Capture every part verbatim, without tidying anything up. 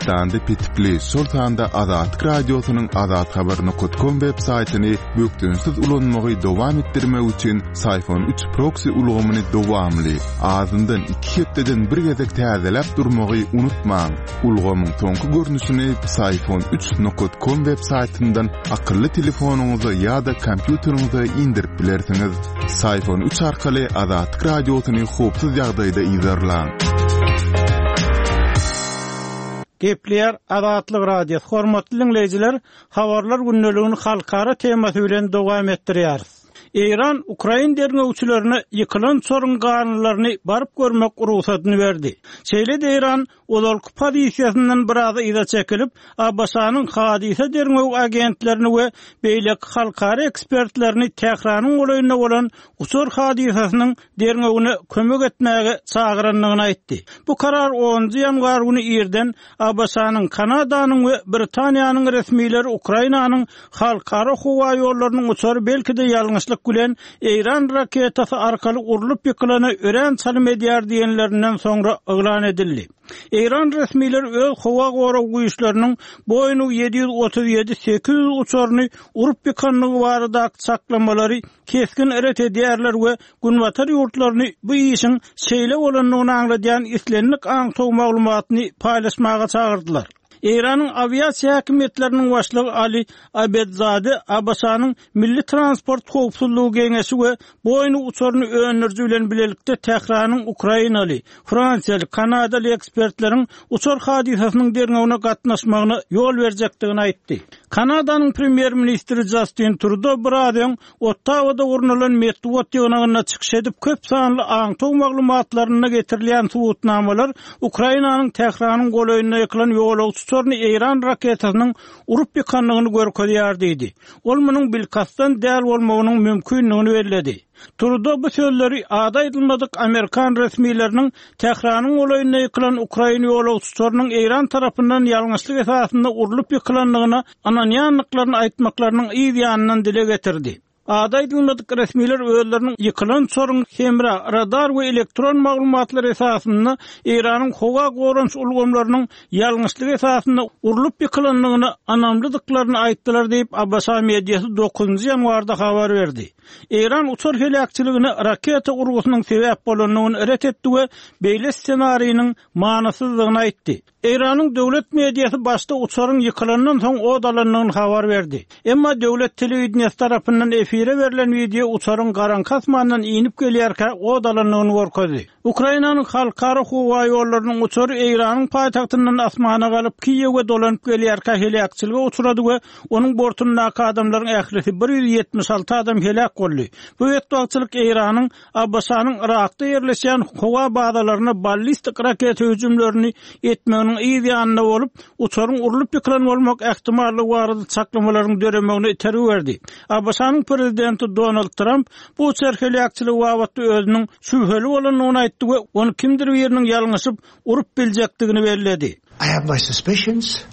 Türkmenistanda petikli, şol sanda Azatlyk Radiosynyň azathabar nokat kom web saýtyny bökdençsiz ulanmagy dowam etdirmek üçin Psiphon üç proksi ulgamyny dowamly, azyndan iki hepdeden bir gezek täzeläp durmagy unutmaň. Ulgamyň soňky görnüşini Psiphon üç nokat kom web saýtyndan akylly telefonyňyza ýa-da kompýuteriňize indirip bilersiňiz. Psiphon üç arkaly Azatlyk Radiosyny howpsuz ýagdaýda yzarlaň. Gepleýär Azatlyk Radiosy. Hormatly dinleýjiler, habarlar gündeligini halkara temasy bilen dowam etdirýäris. Eýran Ukrain derňewçilerine ýykylan uçaryň galyndylaryny baryp görmek rugsadyny berdi. Şeýle-de Eýran ozalky pozisiýasyndan biraz yza çekilip, A B Ş-nyň hadysa derňew agentlerini we beýleki halkara ekspertlerini Tähranyň golaýynda bolan uçar hadysasynyň derňewine kömek etmäge çagyrandygyny aýtdy. Bu karar onunjy ýanwar güni irden A B Ş-nyň, Kanadanyň we Britaniýanyň resmileri Ukrainanyň halkara howa ýollarynyň uçary belki-de ýalňyşlyk bilen Eýran raketasy arkaly urlup ýykylana örän çalym edýär diýenlerinden soňra yglan edildi. Eýran resmileri öz howa gorag güýçleriniň Boeing ýedi ýüz otuz ýedi sekiz ýüz uçaryny urup ýykandygy baradaky çaklamalary kesgin ret edýärler we Günbatar ýurtlaryny bu işiň şeýle bolandygyny aňladýan islendik aňtaw maglumatyny paýlaşmaga çagyrdylar. Eýranyň awiasiýa häkimiýetleriniň başlygy Ali Abedzade A B Ş-nyň Milli Transport Howpsuzlygy Geňeşi we Boeing uçaryny öndüriji bilen bilelikde Tähranyň Ukrainaly, Fransiýaly, Kanadaly ekspertleriň uçar hadysasynyň derňewine gatnaşmagyna ýol berjekdigini aýtdy. Kanadanyň premýer-ministri Justin Trudeau biraz öň Ottawada gurnalan metbugat ýygnagynda çykyş edip, köp sanly aňtaw maglumatlarynda getirilýän subutnamalar Ukrainanyň Tähranyň golaýynda ýykylan ýolagçy uçaryny Eýran raketasynyň urup ýykandygyny görkezýär diýdi. Ol munuň bilkastdan däl bolmagynyň mümkindigini belledi. Trudeau bu sözleri ady aýdylmadyk Amerikan resmileriniň Tähranyň golaýynda ýykylan Ukrain ýolagçy uçarynyň Eýran tarapyndan ýalňyşlyk esasynda urlup ýykylandygyna ynanýandyklaryny aýtmaklarynyň yz ýanyndan dile getirdi. Ady aýdylmadyk resmiler özleriniň ýykylan uçaryň hemra, radar we elektron maglumatlar esasynda Eýranyň howa goranyş ulgamlarynyň ýalňyşlyk esasynda urlup ýykylandygyna ynamlydyklaryny aýtdylar diýip, A B Ş mediasy dokuzynjy ýanwarda habar berdi. Eýran uçar heläkçiligine raketa urgusynyň sebäp bolandygyny ret etdi we beýle ssenariniň manysyzdygyny aýtdy. Eýranyň döwlet mediasy başda uçaryň ýykylandan soň od alandygyny habar berdi. Emma döwlet telewideniýesi tarapyndan efire berlen wideo uçaryň garaňky asmandan inip gelýärkä od alandygyny görkezdi. Ukrainanyň halkara howa ýollarynyň uçary Eýranyň paýtagtyndan asmana galyp Kiýewe dolanyp gelýärkä heläkçilige uçrady we onuň bortundaky adamlaryň ählisi bir ýüz ýetmiş alty adam heläk boldy. Bu betbagtçylyk Eýranyň A B Ş-nyň Irakda ýerleşýän howa bazalaryna ballistik raketa hüjümlerini etmeginiň yz ýanynda bolup, uçaryň urlup ýykylan bolmak ähtimallygy barada çaklamalaryň döremegine itergi berdi. A B Ş-nyň prezidenti Donald Trump bu uçar heläkçiligi babatda özüniň şübheli bolandygyny aýtdy we ony kimdir biriniň ýalňyşyp urup biljekdigini belledi. I have my suspicions.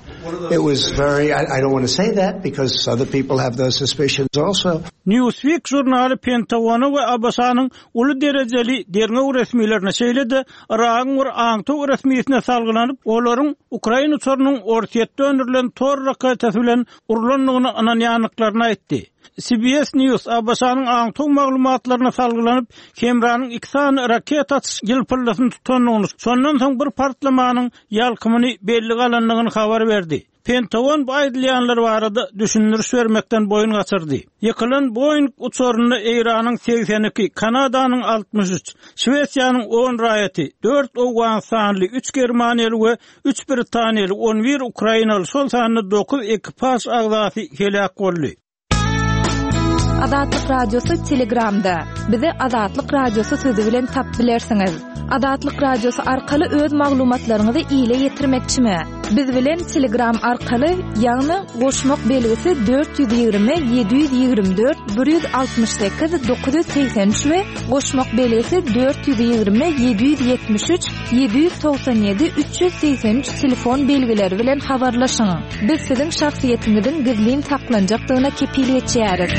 It was very, I, I don't want to say that because other people have those suspicions also. Newsweek žurnaly Pentagona we A B Ş-nyň uly derejeli derňew resmilerine, şeýle-de Iragyň bir aňtaw resmisine salgylanyp, olaryň Ukraina uçarynyň Orsýetde öndürilen Tor raketasy bilen urlandygyna ynanýandyklaryny aýtdy. C B S News A B Ş-nyň aňtaw maglumatlaryna salgylanyp, hemranyň iki sany raketa atyş ýylpyldysyny tutandygyny, şondan soň bir partlamanyň ýalkymyny belli galandygyny habar berdi. Pentagon bu aýdylýanlar barada düşündiriş bermekden boýun gaçyrdy. Ýykylan Boeing uçarynda Eýranyň segsen iki, Kanadanyň altmyş üç, Şwesiýanyň on raýaty, dört Owganystanly, üç Germaniýaly we üç Britaniýaly, on bir Ukrainaly, şol sanda dokuz ekipaž agzasy heläk boldy. Azatlyk Radiosy Telegramda. Bizi Azatlyk Radiosy sözi bilen tap bilersiňiz. Azatlyk Radiosy arkaly öz maglumatlaryňyzy ile ýetirmekçimi? Biz bilen Telegram arkaly, ýagny goşmak belgisi dört ýüz ýigrimi ýedi ýüz ýigrimi dört bir ýüz altmyş sekiz dokuz ýüz segsen üç we goşmak belgisi dört ýüz ýigrimi ýedi ýüz ýetmiş üç ýedi ýüz togsan ýedi üç ýüz segsen üç telefon belgileri bilen habarlaşyň. Biz siziň şahsyýetiňiziň gizlin saklanjakdygyna kepil geçýäris.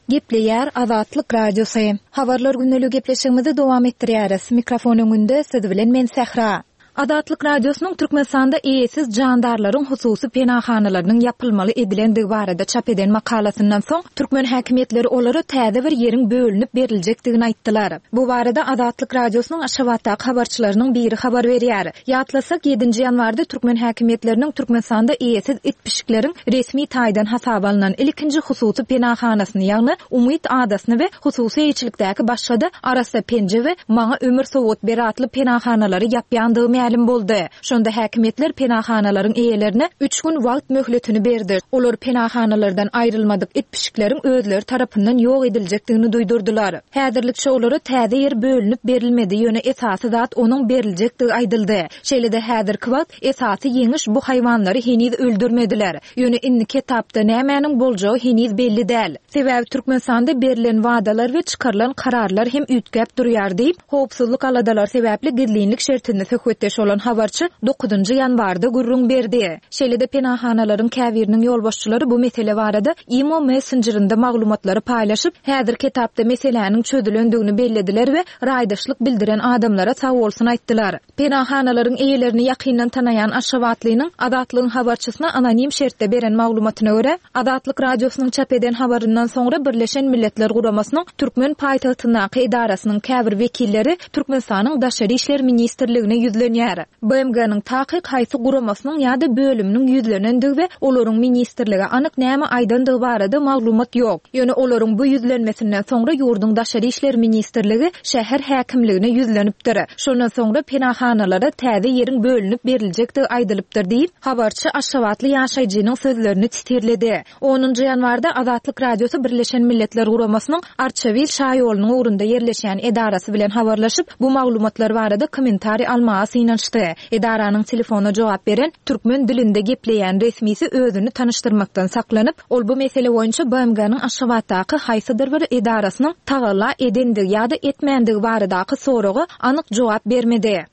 Gepleýär Azatlyk Radiosy. Habarlar gündelik gepleşigimizi dowam etdirýäris. Mikrofon öňünde siz bilen men Sähra. Azatlyk Radiosynyň Türkmenistanda eýesiz jandarlaryň hususy penahanalarynyň ýapylmaly edilendigi barada çap eden makalasyndan soň, türkmen häkimiýetleri olara täze bir ýeriň bölünip beriljekdigini aýtdylar. Bu barada Azatlyk Radiosynyň Aşgabatdaky habarçylarynyň biri habar berýär. Ýatlasak, ýedinji ýanwarda türkmen häkimiýetleriniň Türkmenistanda eýesiz it-pişikleriň resmi taýdan hasaba alnan ilkinji hususy penahanasyny, ýagny Umyt adasyny we hususy eýeçilikdäki başga-da Arassa penje we Maňa ömür sowgat ber atly penahanalary ýapýandygy mälim boldy. Şonda häkimiýetler penahanalaryň eýelerine üç gün wagt möhletini berdi. Olar penahanalardan aýrylmadyk it-pişikleriň özleri tarapyndan ýok ediljekdigini duýdurdylar. Häzirlikçe olara täze ýer bölünip berilmedi, ýöne esasy zat onuň beriljekdigi aýdyldy. Şeýle-de häzirki wagt esasy ýeňiş bu haýwanlary heniz öldürmediler. Ýöne indiki etapda nämäniň boljagy heniz belli däl. Sebäbi Türkmenistanda berlen wadalar we çykarylan kararlar hem üýtgäp durýar diýip, howpsuzlyk aladalary sebäpli gizlinlik şertinde söhbetdeş bolan habarçy dokuzynjy ýanwarda gürrüň berdi. Şeýle-de penahanalaryň käbiriniň ýolbaşçylary bu mesele barada imo messenjerinde maglumatlary paýlaşyp, häzirki etapda meseläniň çözülendigini bellediler we raýdaşlyk bildiren adamlara sagbolsun aýtdylar. Penahanalaryň eýelerini ýakyndan tanaýan aşgabatlynyň Azatlygyň habarçysyna anonim şertde beren maglumatyna görä, Azatlyk Radiosynyň çap eden habaryndan soňra Birleşen Milletler Guramasynyň türkmen paýtagtyndaky edarasynyň käbir wekilleri Türkmenistanyň Daşary işler ministrligine ýüzlenýär. B M G-niň takyk haýsy guramasynyň ýa-da bölüminiň ýüzlenendigi we olaryň ministrlige anyk näme aýdandygy barada maglumat ýok. Ýöne olaryň bu ýüzlenmesinden soňra ýurduň Daşary işler ministrligi şäher häkimligine ýüzlenipdir. Şondan soňra penahanalara täze ýeriň bölünip beriljekdigi aýdylypdyr diýip, habarçy aşgabatly ýaşaýjynyň sözlerini titirledi. Onunjy ýanwarda Azatlyk Radiosy Birleşen Milletler Guramasynyň Arçabil şaýolunyň ugrunda ýerleşýän edarasy bilen habarlaşyp, bu maglumatlar barada kommentariý almaga synanyşdy. Edaranyň telefona jogap beren türkmen dilinde gepleýän resmisi özüni tanyşdyrmakdan saklanyp, ol bu mesele boýunça B M G-niň Aşgabatdaky haýsydyr bir edarasynyň tagalla edendigi ýa-da etmändigi baradaky soraga anyk jogap bermedi.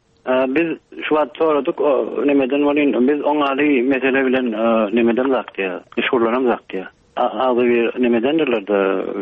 Biz şu wagt soradyk, o nemeden bolýan, biz oňaly mesele bilen nemeden zakdiýa, meşgullanam zakdiýa. Agzy bir nemedendirler de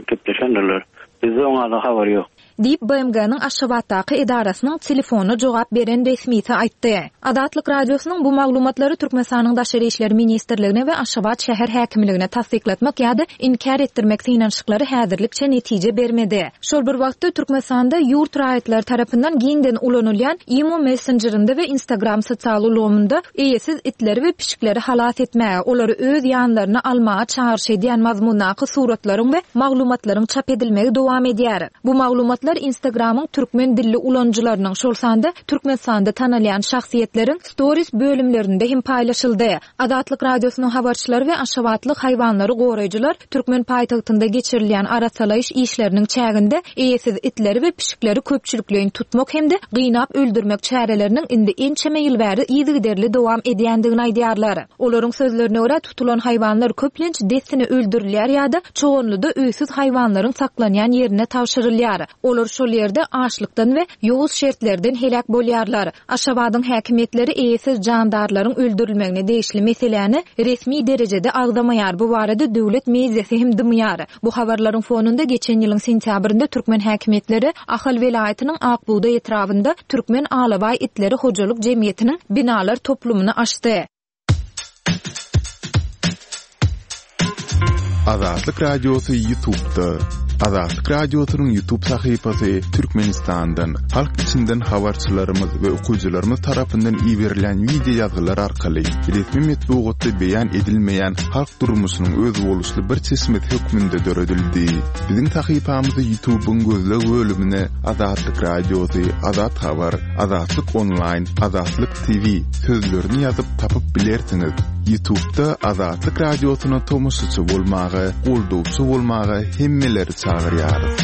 gepleşendirler. Bizde oňaly habar ýok. Diýip, B M G-niň Aşgabatdaky edarasynyň telefona jogap beren resmisi aýtdy. Azatlyk Radiosynyň bu maglumatlary Türkmenistanyň Daşary işler ministrligine we Aşgabat şäher häkimligine tassyklatmak ýa-da inkär etdirmek synanyşyklary häzirlikçe netije bermedi. Şol bir wagtda Türkmenistanda ýurt raýatlary tarapyndan giňden ulanylýan Imo messenjerinde we Instagram sosial ulgamynda eýesiz itleri we pişikleri halas etmäge, olary öz ýanlaryna almaga çagyryş edýän mazmundaky suratlaryň we maglumatlaryň çap edilmegi dowam edýär. Bu maglumatlar Instagramyň türkmen dilli ulanyjylarynyň, şol sanda Türkmenistanda tanalýan şahsyýetleriň stories bölümlerinde hem paýlaşyldy. Azatlyk Radiosynyň habarçylary we aşgabatly haýwanlary goraýjylar türkmen paýtagtynda geçirilýän arasalaýyş işleriniň çäginde eýesiz itleri we pişikleri köpçülikleýin tutmak hem-de gynap öldürmek çäreleriniň indi ençeme ýyl bäri yzygiderli dowam edýändigini aýdýarlar. Olaryň sözlerine görä, tutulan haýwanlar köplenç dessine öldürilýär ýa-da çoganlyda öýsüz haýwanlaryň saklanýan ýerine tabşyrylýar. Olar şol ýerde açlykdan we ýowuz şertlerden heläk bolýarlar. Aşgabadyň häkimiýetleri eýesiz jandarlaryň öldürilmegine degişli meseläni resmi derejede agzamaýar. Bu barada döwlet mediasy hem dymýar. Bu habarlaryň fonunda geçen ýylyň sentýabrynda türkmen häkimiýetleri Ahal welaýatynyň Akbugdaý etrabynda Türkmen alabaý itleri hojalyk jemgyýetiniň binalar toplumyny açdy. Azatlyk Radiosy YouTube'da. Azatlyk Radiosynyň YouTube sahypasy Türkmenistandan, halk içinden habarçylarymyz we okyjylarymyz tarapyndan iberilen wideo ýazgylar arkaly resmi metbugatda beýan edilmeýän halk durmuşynyň özboluşly bir çeşmesi hökmünde döredildi. Biziň sahypamyzy YouTube'yň gözleg bölümine Azatlyk Radiosy, Azat Habar, Azatlyk Online, Azatlyk T V sözlerini ýazyp tapyp bilersiňiz. YouTube'da Azatlyk Radiosyna tomaşaçy bolmaga, goldawçy bolmaga hemmeleri çagyrýarys.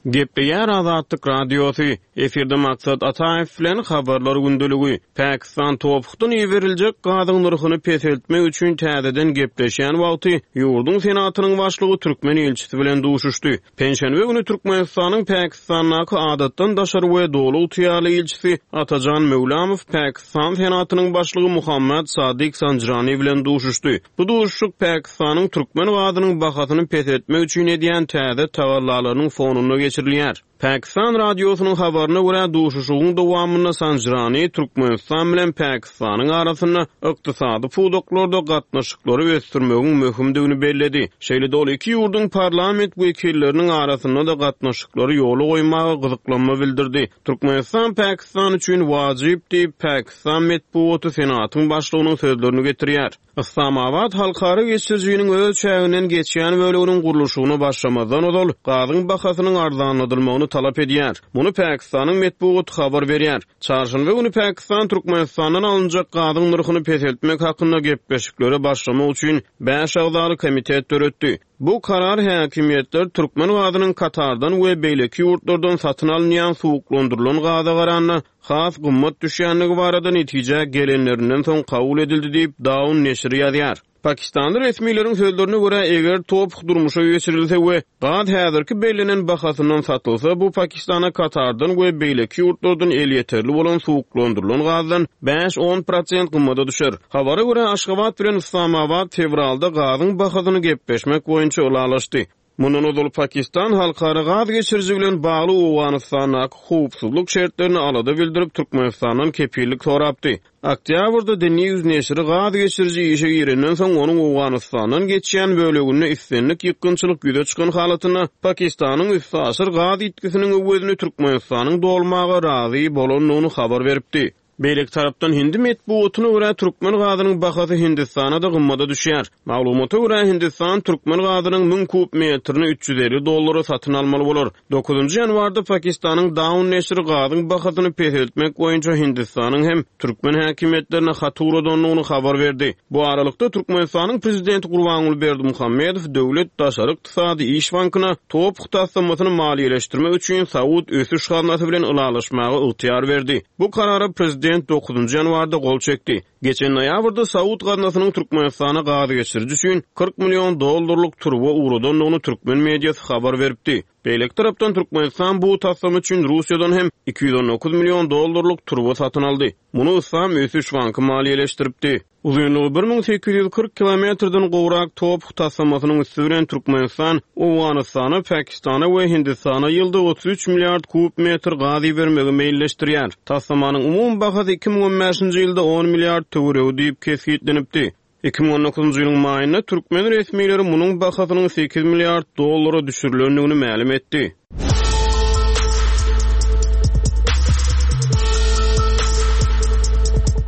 Gepleýär Azatlyk Radiosy. Efirde Maksat Ataýew bilen habarlar gündeligi. Pakistan topukdan iberiljek gazyň nyrhyny peseltmek üçin täzeden gepleşýän wagty ýurduň senatynyň başlygy türkmen ilçisi bilen duşuşdy. Penşenbe güni Türkmenistanyň Pakistandaky adatdan daşary we doly ygtyýarly ilçisi Atajan Möwlamow Pakistan senatynyň başlygy Muhammad Sadyk Sanjrani bilen duşuşdy. Bu duşuşyk Pakistanyň türkmen gazynyň bahasyny peseltmek üçin edýän täze tagallalarynyň fonunda geçirilýär. Pakistan radiosynyň habaryna görä duşuşygyň dowamynda Sanjrani Türkmenistan bilen Pakistanyň arasynda ykdysady pudaklarda gatnaşyklary ösdürmegiň möhümdigini belledi. Şeýle-de ol iki ýurduň parlament wekilleriniň arasynda da gatnaşyklary ýola goýmaga gyzyklanma bildirdi. Türkmenistan Pakistan üçin wajyp diýip Pakistan metbugaty senatyň başlygynyň sözlerini getirýär. Islamabad halkara geçirijiniň öz çäginden geçýän böleginiň gurluşygyna başlamazdan ozal gazyň bahasynyň arzanladylmagyny talap edýär. Muny Pakistanyň metbugaty habar berýär. Çarşenbe güni Pakistan Türkmenistandan alynjak gazyň nyrhyny peseltmek hakynda gepleşiklere başlamak üçin bäş agzaly komitet döretdi. Bu karar häkimiýetler Türkmen gazynyň Katardan we beýleki ýurtlardan satyn alynýan suwuklandyrylan gaza garanda has gymmat düşýänligi barada netije gelenlerinden soň kabul edildi diýip Daun neşiri ýazýar. Pakistanly resmileriň sözlerine görä eger top durmuşa geçirilse we gaz häzirki bellenen bahasyndan satylsa bu Pakistana Katardan we beýleki ýurtlardan elýeterli bolan suwuklandyrylan gazdan bäş on prosent gymmada düşer. Habara görä Aşgabat bilen Islamabad fevralda gazyň bahasyny gepleşmek boýunça ylalaşdy. Mundan ozal Pakistan halkara gaz geçiriji bilen bagly Owganystandaky howpsuzlyk şertlerini alada bildirip Türkmenistandan kepillik sorapdy. Oktyabrda The News neşiri gaz geçiriji işe girenden soň onuň Owganystandan geçýän böleginde islendik ýykgynçylyk ýüze çykan halatynda Pakistanyň üstaşyr gaz ýitgisiniň öwezini Türkmenistanyň dolmaga razy bolandygyny habar beripdi. Beýleki tarapdan Hindi metbugatyna görä Türkmen gazynyň bahasy Hindistana da gymmada düşýär. Maglumata görä Hindistan Türkmen gazynyň müň kub metrini üç ýüz elli dollara satyn almaly bolar. Dokuzynjy ýanwarda Pakistanyň Daun neşiri gazyň bahasyny peseltmek boýunça Hindistanyň hem Türkmen häkimiýetlerine hat ugradandygyny habar berdi. Bu aralykda Türkmenistanyň prezidenti Gurbanguly Berdimuhamedow Döwlet Daşary Ykdysady Iş Bankyna top taslamasyny maliýeleşdirmek üçin Saud ösüş gaznasy bilen ylalaşmaga ygtyýar berdi. Bu karara prezident dokuzynjy ýanwarda gol çekdi. Geçen noýabrda Saud gaznasynyň Türkmenistana gaz geçiriji üçin kyrk million dollarlyk turba ugradandygyny türkmen mediasy habar beripdi. Beýleki tarapdan Türkmenistan bu taslama üçin Russiýadan hem iki ýüz on dokuz million dollarlyk turba satyn aldy. Muny Islam Ösüş Banky maliýeleşdiripdi. Uzynlygy bir müň sekiz ýüz kyrk kilometrden gowrak top taslamasynyň üsti bilen Türkmenistan, Owganystana, Pakistana we Hindistana ýylda otuz üç milliard kub metr gaz ibermegi meýilleşdirýär. Taslamanyň umumy bahasy iki müň on bäşinji ýylda on milliard töweregi diýip kesgitlenipdi. Iki müň on dokuzynjy ýylyň maýynda türkmen resmileri munuň bahasynyň sekiz milliard dollara düşürilendigini mälim etdi.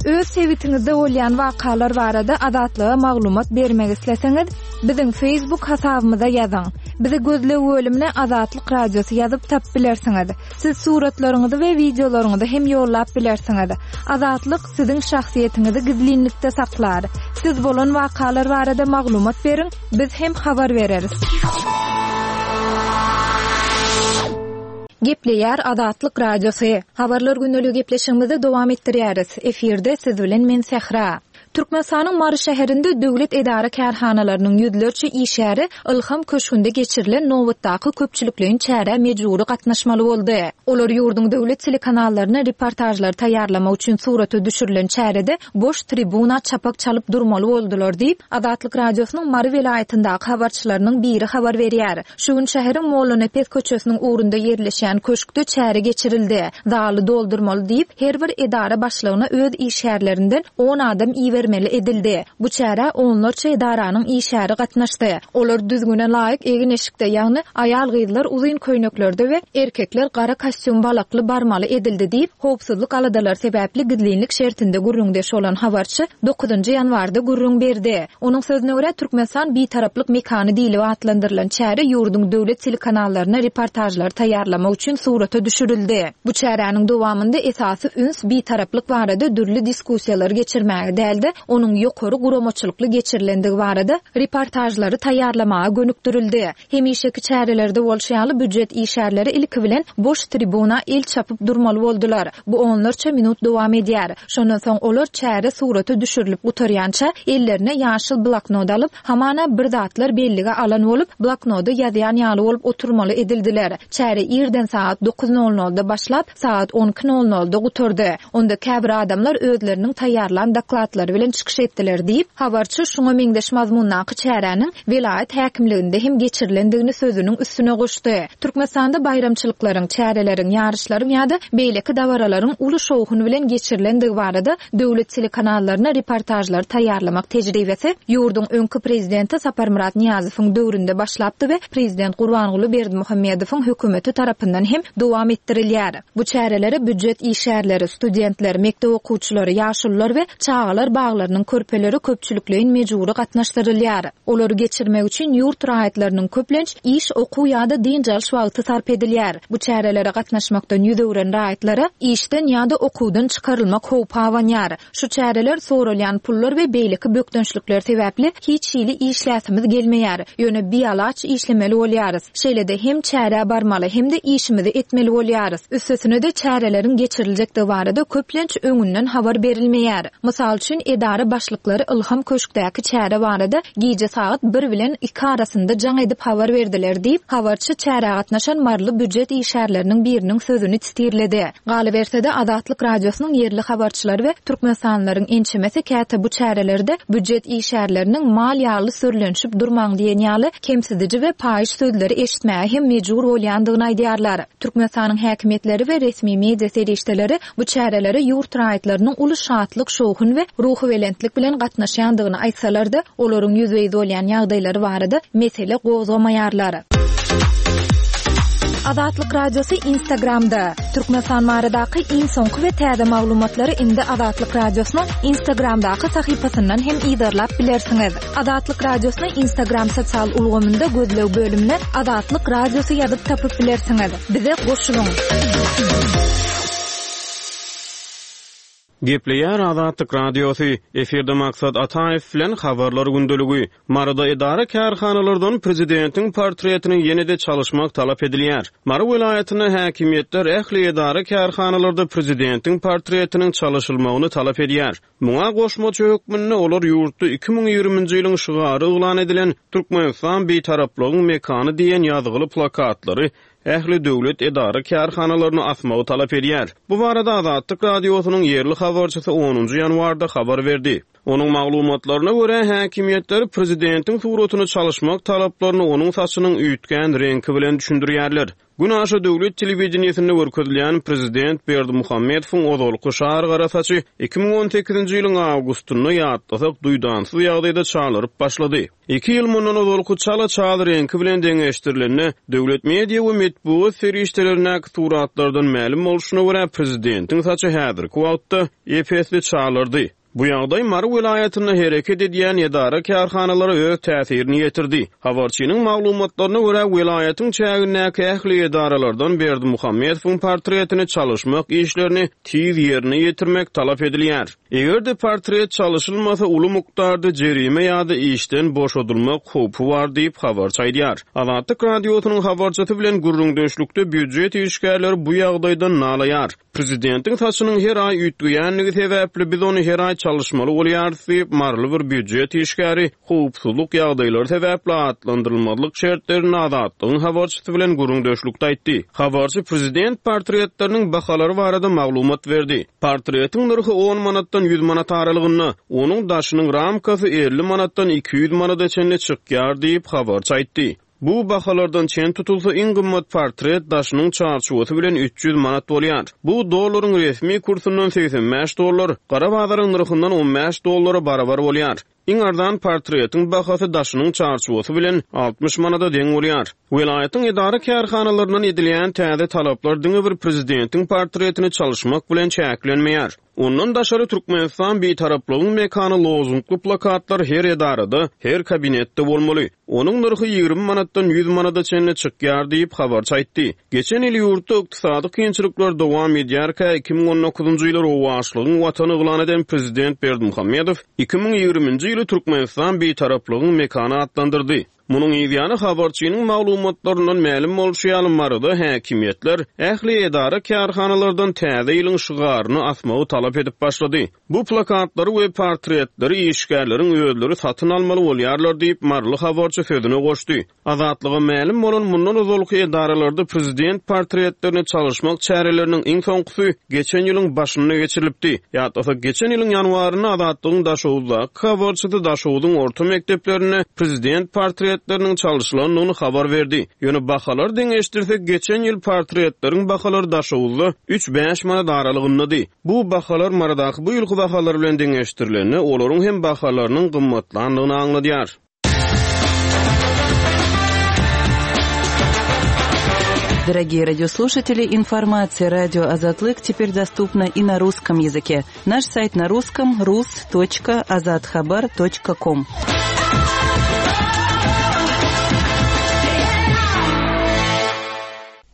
Öz sebitiňizde bolýan wakalar barada Azatlyga maglumat bermek isleseňiz, biziň Facebook hasabymyza ýazyň. Bizi gözleg bölümine Azatlyk Radiosy ýazyp tap bilersiňiz. Siz suratlaryňyzy we wideolaryňyzy hem ýollap bilersiňiz. Azatlyk siziň şahsyýetiňizi gizlinlikde saklar. Siz bolan wakalar barada maglumat beriň, biz hem habar bereris. Gepleýär Azatlyk Radiosy. Habarlar günlügi gepleşigimizi dowam etdirýäris. Efirde siz bilen men Sähra. Türkmenistanyň Mary şäherinde döwlet edara kärhanalarynyň ýüzlerçe işgäri Ilham köşgünde geçirilen nobatdaky köpçülikleýin çärä mejbury gatnaşmaly boldy. Olar ýurduň döwlet telekanallaryna reportajlar taýýarlamak üçin surata düşürilen çärede boş tribuna çapak çalyp durmaly boldular diýip, Azatlyk Radiosynyň Mary welaýatyndaky habarçylarynyň biri habar berýär. Şu gün şäheriň Mollanepes köçesiniň ugrunda ýerleşýän köşkde çäre geçirildi. Zaly doldurmaly diýip, her bir edara başlygyna öz işgärlerinden on adam ibermeli edildi. Bu çärä onlarça edaranyň işgäri gatnaşdy. Olar düzgüne laýyk egin-eşikde, ýagny aýal-gyzlar uzyn köýneklerde we erkekler gara kostýum balakly barmaly edildi diýip, howpsuzlyk aladalary sebäpli gizlinlik şertinde gürrüňdeş bolan habarçy dokuzynjy ýanwarda gürrüň berdi. Onuň sözüne görä Türkmenistan bitaraplyk mekany diýlip atlandyrylan çäre ýurduň döwlet telekanallaryna reportajlar taýýarlamak üçin surata düşürildi. Bu çäräniň dowamynda esasy üns bitaraplyk barada dürli diskussiýalar geçirmäge däldi, onuň ýokary guramaçylykly geçirilendigi barada reportajlary taýýarlamaga gönükdirildi. Hemişeki çärelerde bolşy ýaly büdjet işgärleri ilki bilen boş tribuna el çapyp durmaly boldular. Bu onlarça minut dowam edýär. Şondan soň olar çäre surata düşürilip gutarýança ellerine ýaşyl bloknot alyp, hamana bir zatlar bellige alan bolup, bloknoda ýazýan ýaly bolup oturmaly edildiler. Çäre irden saat dokuz nol nolda başlap, saat on iki nol nolda gutardy. Onda käbir adamlar özleriniň taýýarlan dokladlary bilen bilen çykyş etdiler diýip, habarçy şuňa meňzeş mazmundaky çäräniň welaýat häkimliginde hem geçirilendigini sözüniň üstüne goşdy. Türkmenistanda baýramçylyklaryň, çäreleriň, ýaryşlaryň ýa-da beýleki dabaralaryň uly şowhun bilen geçirilendigi barada döwlet telekanallaryna reportažlary taýýarlamak tejribesi ýurduň öňki prezidenti Saparmyrat Nyýazowyň döwründe başlapdy we prezident Gurbanguly Berdimuhamedowyň hökümeti tarapyndan hem dowam etdirilýär. Bu çärelere býujet işgärleri, studentler, mekdep okuwçylary, ýaşulular we çagalar baglarynyň körpeleri köpçülikleýin mejbury gatnaşdyrylýar. Olary geçirmek üçin ýurt raýatlarynyň köplenç iş, okuw ýa-da dynç alyş wagty sarp edilýär. Bu çärelere gatnaşmakdan ýüz öwren raýatlara işden ýa-da okuwdan çykarylmak howpy abanýar. Şu çäreler soralýan pullar we beýleki bökdençlikler sebäpli hiç hili işläsimiz gelmeýär. Ýöne bialaç işlemeli bolýarys. Şeýle-de hem çärä barmaly, hem-de işimizi etmeli bolýarys. Üstesine-de çäreleriň geçiriljekdigi barada köplenç öňünden habar berilmeýär. Mysal üçin, edara başlyklary Ylham köşkdäki çäre barada gije sagat bir bilen iki arasynda jaň edip habar berdiler diýip, habarçy çärä gatnaşan maryly býujet işgärleriniň biriniň sözüni titirledi. Galyberse-de, Azatlyk Radiosynyň ýerli habarçylary we türkmenistanlylaryň ençemesi käte bu çärelerde býujet işgärleriniň mal ýaly sürlenişip durmaň diýen ýaly kemsidiji we paýyş sözleri eşitmäge hem mejbur bolýandygyny aýdýarlar. Türkmenistanyň häkimiýetleri we resmi media serişdeleri bu çärelere ýurt raýatlarynyň uly şatlyk, şowhun we ruhubelentlik bilen gatnaşýandygyny aýtsalar-da, olaryň ýüzbe-ýüz bolýan ýagdaýlary barada mesele gozgamaýarlar. Azatlyk Radiosy Instagramda. Türkmenistan baradaky iň soňky we täze maglumatlary indi Azatlyk Radiosynyň Instagramdaky sahypasyndan hem yzarlap bilersiňiz. Azatlyk Radiosyny Instagram sosial ulgamynda gözleg bölümine Azatlyk Radiosy ýazyp tapyp bilersiňiz. Bize goşulyň. Gepleýär Azatlyk Radiosy, efirde Maksat Ataýew bilen Habarlar gündeligi. Maryda edara-kärhanalardan prezidentiň portretini ýene-de çalyşmak talap edilýär. Mary welaýatynda häkimiýetler ähli edara-kärhanalarda prezidentiň portretiniň çalyşylmagyny talap edýär. Muňa goşmaça hökmünde olar ýurtda iki müň ýigriminji ýylyň şygary yglan edilen Türkmenistan Bitaraplygyň mekany diýen ýazgyly plakatlary ähli döwlet edara-kärhanalaryny asmagy talap edýär. Bu barada Azatlyk Radiosynyň ýerli habarçysy onunjy ýanwarda habar berdi. Onuň maglumatlaryna görä, häkimiýetler prezidentiň suratyny çalyşmak talaplaryny onuň saçynyň üýtgän reňki bilen düşündirýärler. Günaşa döwlet telewideniýesinde görkezilýän prezident Berdimuhamedowyň ozalky şar gara saçy iki müň on sekizinji ýylyň awgustynda ýatlasak duýdansyz ýagdaýda çalaryp başlady. Iki ýyl mundan ozalky çala çal reňki bilen deňeşdirilende, döwlet media we metbugat serişdelerindäki suratlardan mälim bolşuna görä, prezidentiň saçy häzirki wagtda ep-esli çalardy. Bu ýagdaý Mary welaýatynda hereket edýän edara-kärhanalara öz täsirini ýetirdi. Habarçynyň maglumatlaryna görä, welaýatyň çägindäki ähli edaralardan Berdimuhamedowyň portretini çalyşmak işlerini tiz ýerine ýetirmek talap edilýär. Eger-de portret çalyşylmasa, uly mukdarda jerime ýa-da işden boşadylmak howpy bar diýip habarçy aýdýar. Azatlyk Radiosynyň habarçysy bilen gürrüňdeşlikde býujet işgärleri bu ýagdaýdan nalaýar. Prezidentiň saçynyň her aý üýtgeýändigi sebäpli biz ony her aý çalyşmaly bolýarys diýip, maryly bir býujet işgäri howpsuzlyk ýagdaýlary sebäpli atlandyrylmazlyk şertlerinde Azatlygyň habarçysy bilen gürrüňdeşlikde aýtdy. Habarçy prezident portretleriniň bahalary barada maglumat berdi. Portretiň nyrhy on manatdan ýüz manat aralygynda, onuň daşynyň ramkasy elli manatdan iki ýüz manada çenli çykýar diýip habarçy aýtdy. Bu bahalardan çen tutulsa iň gymmat portret daşynyň çarçuwasy bilen üç ýüz manat bolýar. Bu dollaryň resmi kursundan segsen bäş dollar, gara bazaryň nyrhyndan on bäş dollara barabar bolýar. Iň arzan portretiň bahasy daşynyň çarçuwasy bilen altmyş manada deň bolýar. Welaýatyň edara kärhanalaryndan edilýän täze talaplar diňe bir prezidentiň portretini çalyşmak bilen çäklenmeýär. Ondan daşary Türkmenistan Bitaraplygyň mekany lozungly plakatlar her edarada, her kabinetde bolmaly. Onuň nyrhy ýigrimi manatdan ýüz manada çenli çykýar diýip habarçy aýtdy. Geçen ýyl ýurtda ykdysady kynçylyklar dowam edýärkä iki müň on dokuzynjy ýyly rowaçlygyň watany yglan eden prezident Berdimuhamedow iki müň ýigriminji ýyly Türkmenistan Bitaraplygyň mekany atlandyrdy. Munuň ýany habarçynyň maglumatlaryndan mälim bolşy ýaly Maryda häkimiýetler ähli edara kärhanalardan täze ýylyň şygaryny asmagy talap edip başlady. Bu plakatlary we portretleri işgärleriň özleri satyn almaly bolýarlar diýip Maryly habarçy sözüne goşdy. Azatlyga mälim bolan mundan ozalky edaralarda prezident portretlerini çalyşmak çäreleriniň iň soňkusy geçen ýylyň başynda geçirilipdi. Ýatlasa geçen ýylyň ýanwarynda Azatlygyň Daşoguzdaky habarçysy Daşoguzyň orta mekdeplerinde prezident portretleriniň çalyşylandygyny habar berdi. Ýöne bahalar deňeşdirsek geçen ýyl portretleriň bahalary Daşoguzda üç bäş manat aralygyndady. Bu bahalar Marydaky bu ýylky bahalar bilen deňeşdirilende olaryň hem bahalarynyň gymmatlandygyny aňladýar. Дорогие радиослушатели, информация радио Азатлык теперь доступна и на русском языке. Наш сайт на русском rus.azathabar.com.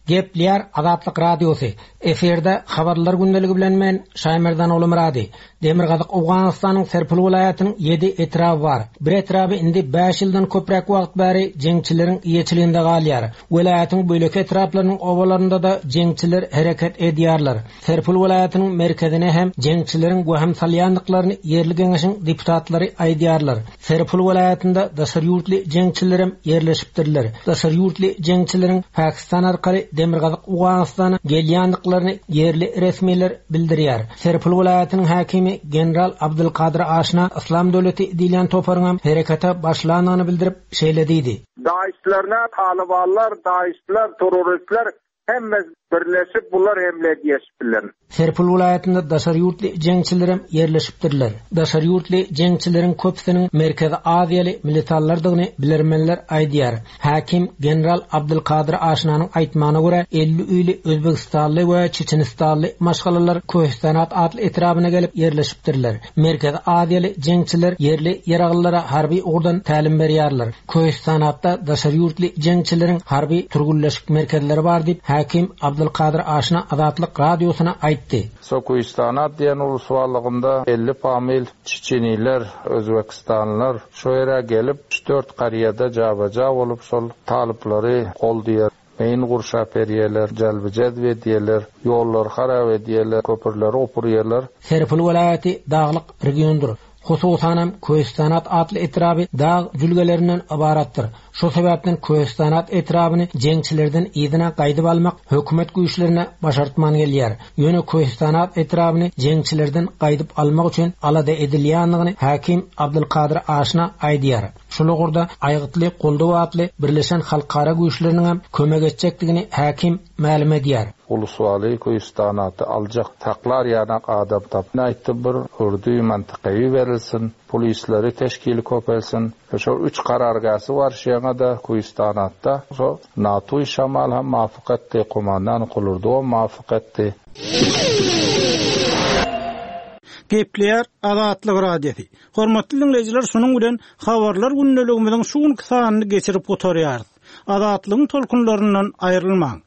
Gepleýär Azatlyk Radiosy. Efirde habarlar gündeligi bilen men Şaýmerdan Oglumyrady. Demirgazyk Owganystanyň Serpil welaýatynyň ýedi etraby bar. Bir etraby indi bäş ýyldan köpräk wagt bäri jeňçileriň eýeçiliginde galýar. Welaýatyň bölek etraplarynyň obalarynda da jeňçiler hereket edýärler. Serpil welaýatynyň merkezine hem jeňçileriň waham salýandyklaryny ýerli geňeşiň deputatlary aýdýarlar. Serpil welaýatynda daşary ýurtly jeňçilerem ýerleşipdirler. Daşary ýurtly jeňçileriň Pakistan arkaly Demirgazyk Owganystana gelýändiklaryny ýerli resmiler bildirýär. Serpil welaýatynyň häkimi General Abdulkadir Aşna Islam döwleti diýlen toparyň hem herekete başlandygyny bildirip şeýle diýdi. Daişlerine Talibanlar, Daişler, terroristler hemme birleşip bular hemle edýärler. Serpil welaýatynda daşary ýurtly jeňçilerem ýerleşipdirler. Daşary ýurtly jeňçileriň köpüsiniň Merkezi Aziýaly militarlardygyny bilermenler aýdýar. Häkim General Abdulkadir Aşnanyň aýtmagyna görä elli öýli Özbegistanly we Çeçenistanly maşgalalar Köhistanat atly etrabyna gelip ýerleşipdirler. Merkezi Aziýaly jeňçiler ýerli ýaraglylara harby ugurdan tälim berýärler. Köhistanatda daşary ýurtly jeňçileriň harby türgünleşik merkezleri bar diýip Häkim Abdulkadir Aşna Azatlyk Radiosyna aýtdy. Sokuistanat diýen uluswalygynda elli famil Çeçeniler, Özbekistanlylar şu ýere gelip üç dört karýada jabaja bolup şol talyplary goldiýar. Meýin gurşap berýärler, jalby jazb edýärler, ýollar harap edýärler, köprüleri opurýarlar. Serpil welaýaty daglyk regiondyr. Hususanam Köhistanat atly etraby dag jülgelerinden ybaratdyr. Şu sebäpden Köhistanat etrabyny jeňçilerden yzyna gaýdyp almak hökümet güýçlerine başartman gelýär. Ýöne Köhistanat etrabyny jeňçilerden gaýdyp almak üçin alada edilýändigini häkim Abdulkadir Aşna aýdýar. Şul ugurda aýgytly goldaw atly Birleşen Halkara güýçleriniň hem kömek etjekdigini häkim mälim edýär. Uluswaly Köhistanaty aljak taklar ýanak adam tap. Aýtdy bir urdu mantykawy berilsin, polisleri teşkili köpelsin. Şol üç karargäsi bar şeňe de Köhistanatda. Şo NATO şamal hem muwafyk etdi, komandan kulurdu muwafyk etdi. Gepleýär Azatlyk Radiosy. Hormatly dinleýjiler, şunuň bilen habarlar gündeligimiziň şu günki sanyny geçirip gutarýarys. Azatlygyň tolkunlaryndan aýrylmaň.